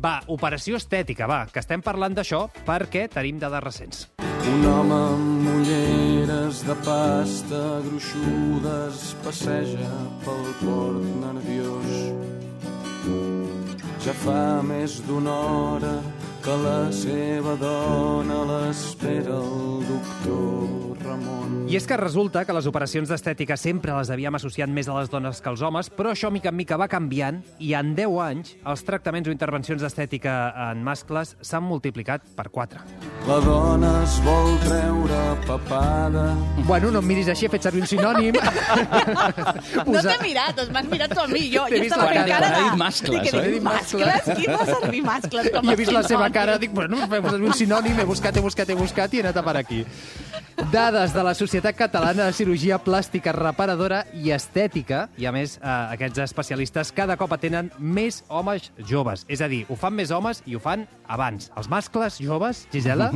Va, operació estètica, va, que estem parlant d'això perquè tenim dades recents. Un home amb ulleres de pasta gruixudes passeja pel port nerviós. Ja fa més d'una hora que la seva dona l'espera el doctor Ramon. I és que resulta que les operacions d'estètica sempre les havíem associat més a les dones que als homes, però això mica en mica va canviant i en 10 anys els tractaments o intervencions d'estètica en mascles s'han multiplicat per 4. La dona es vol treure papada. Bueno, no em miris així, he fet servir un sinònim. No t'he mirat, m'has mirat tu a mi. Jo T'he vist estava la fent cara. cara de... He dit mascles, Dic, he dit mascles? Qui fa servir mascles com a I he vist la seva sinònim? cara, dic, bueno, fem servir un sinònim, he buscat i he anat a parar aquí. Dades de la Societat Catalana de Cirurgia Plàstica Reparadora i Estètica, i a més aquests especialistes cada cop atenen més homes joves. És a dir, ho fan més homes i ho fan abans. Els mascles joves, Gisela,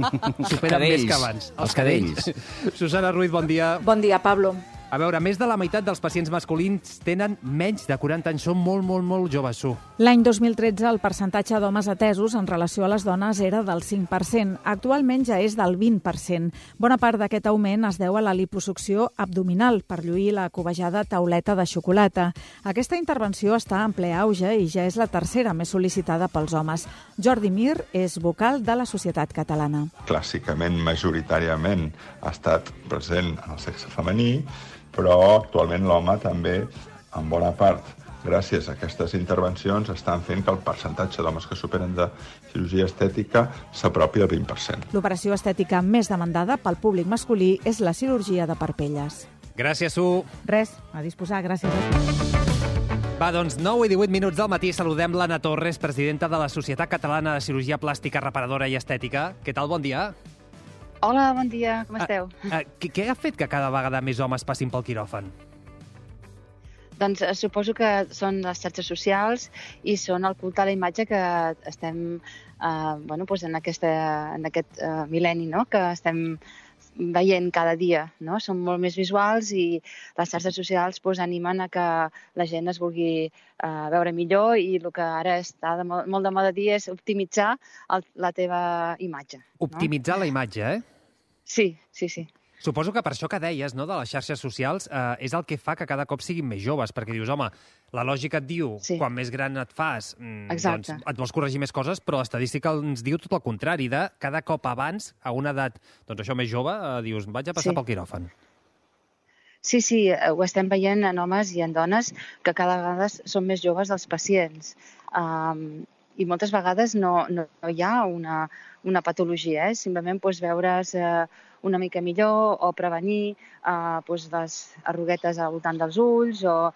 superen més que abans. Els cadells. Susana Ruiz, bon dia. Bon dia, Pablo. A veure, més de la meitat dels pacients masculins tenen menys de 40 anys. Són molt joves, Su. L'any 2013 el percentatge d'homes atesos en relació a les dones era del 5%. Actualment ja és del 20%. Bona part d'aquest augment es deu a la liposucció abdominal per lluir la cobejada tauleta de xocolata. Aquesta intervenció està en ple auge i ja és la tercera més sol·licitada pels homes. Jordi Mir és vocal de la Societat Catalana. Clàssicament, majoritàriament, ha estat present en el sexe femení, però actualment l'home també, en bona part, gràcies a aquestes intervencions, estan fent que el percentatge d'homes que superen de cirurgia estètica s'apropi al 20%. L'operació estètica més demandada pel públic masculí és la cirurgia de parpelles. Gràcies, Su. Res, a disposar, gràcies. Va, doncs 9 i 18 minuts del matí saludem l'Anna Torres, presidenta de la Societat Catalana de Cirurgia Plàstica Reparadora i Estètica. Què tal, bon dia? Hola, bon dia, com esteu? Què ha fet que cada vegada més homes passin pel quiròfan? Doncs suposo que són les xarxes socials i són el culte a la imatge que estem en aquest mil·lenni, no? Que estem veient cada dia, no? Són molt més visuals i les xarxes socials animen a que la gent es vulgui veure millor i el que ara està molt de moda dir és optimitzar la teva imatge. Optimitzar la imatge, eh? Sí. Suposo que per això que deies, no, de les xarxes socials, és el que fa que cada cop siguin més joves, perquè dius, home, la lògica et diu, quan més gran et fas, doncs et vols corregir més coses, però l'estadística ens diu tot el contrari, de cada cop abans, a una edat, doncs això més jove, dius, vaig a passar pel quiròfan. Sí, ho estem veient en homes i en dones que cada vegada són més joves els pacients. I moltes vegades no hi ha una patologia, simplement veure's una mica millor o prevenir les arruguetes al voltant dels ulls o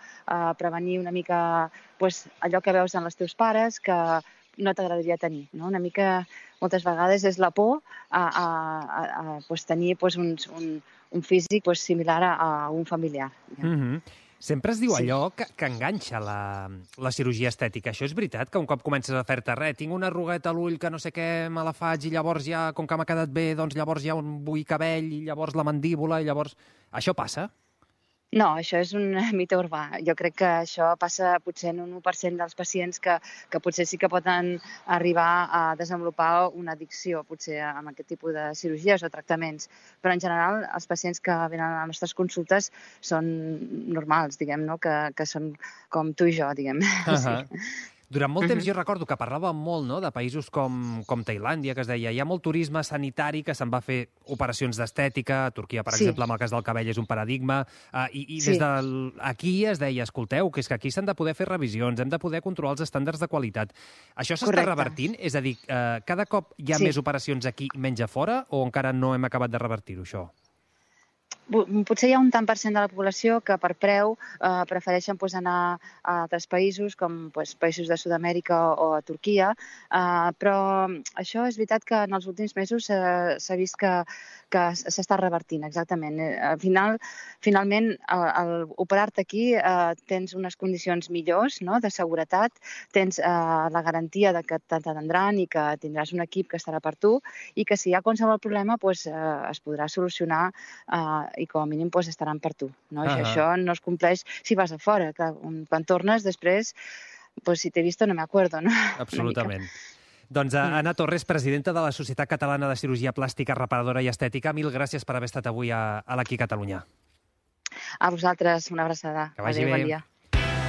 prevenir una mica allò que veus en els teus pares que no t'agradaria tenir. Una mica, moltes vegades, és la por a tenir un físic similar a un familiar. Sempre es diu allò que enganxa la cirurgia estètica. Això és veritat? Que un cop comences a fer-te tinc una arrugueta a l'ull que no sé què me la faig i llavors ja, com que m'ha quedat bé, doncs llavors ja vull cabell i llavors la mandíbula i llavors... Això passa? No, això és un mite urbà. Jo crec que això passa potser en un 1% dels pacients que potser sí que poden arribar a desenvolupar una addicció, potser amb aquest tipus de cirurgies o tractaments. Però en general els pacients que venen a les nostres consultes són normals, diguem, no? Que són com tu i jo, diguem. Durant molt temps jo recordo que parlàvem molt, no, de països com Tailàndia, que es deia, hi ha molt turisme sanitari que se'n va fer operacions d'estètica, a Turquia, per exemple, amb el cas del cabell és un paradigma, i des d'aquí es deia, escolteu, que és que aquí s'han de poder fer revisions, hem de poder controlar els estàndards de qualitat. Això s'està revertint? És a dir, cada cop hi ha més operacions aquí i menys a fora, o encara no hem acabat de revertir-ho, això? Potser hi ha un tant per cent de la població que per preu prefereixen anar a altres països, com països de Sud-amèrica o a Turquia, però això és veritat que en els últims mesos s'ha vist que s'està revertint, exactament. Finalment, al operar-te aquí tens unes condicions millors, no?, de seguretat, tens la garantia de que t'atendran i que tindràs un equip que estarà per tu i que si hi ha qualsevol problema es podrà solucionar i com a mínim estaran per tu. Això no es compleix si vas a fora. Quan tornes després, si t'he visto no me acuerdo, no? Absolutament. Doncs Anna Torres, presidenta de la Societat Catalana de Cirurgia Plàstica, Reparadora i Estètica, mil gràcies per haver estat avui a l'Aquí Catalunya. A vosaltres, una abraçada. Que vagi bé. Bon dia.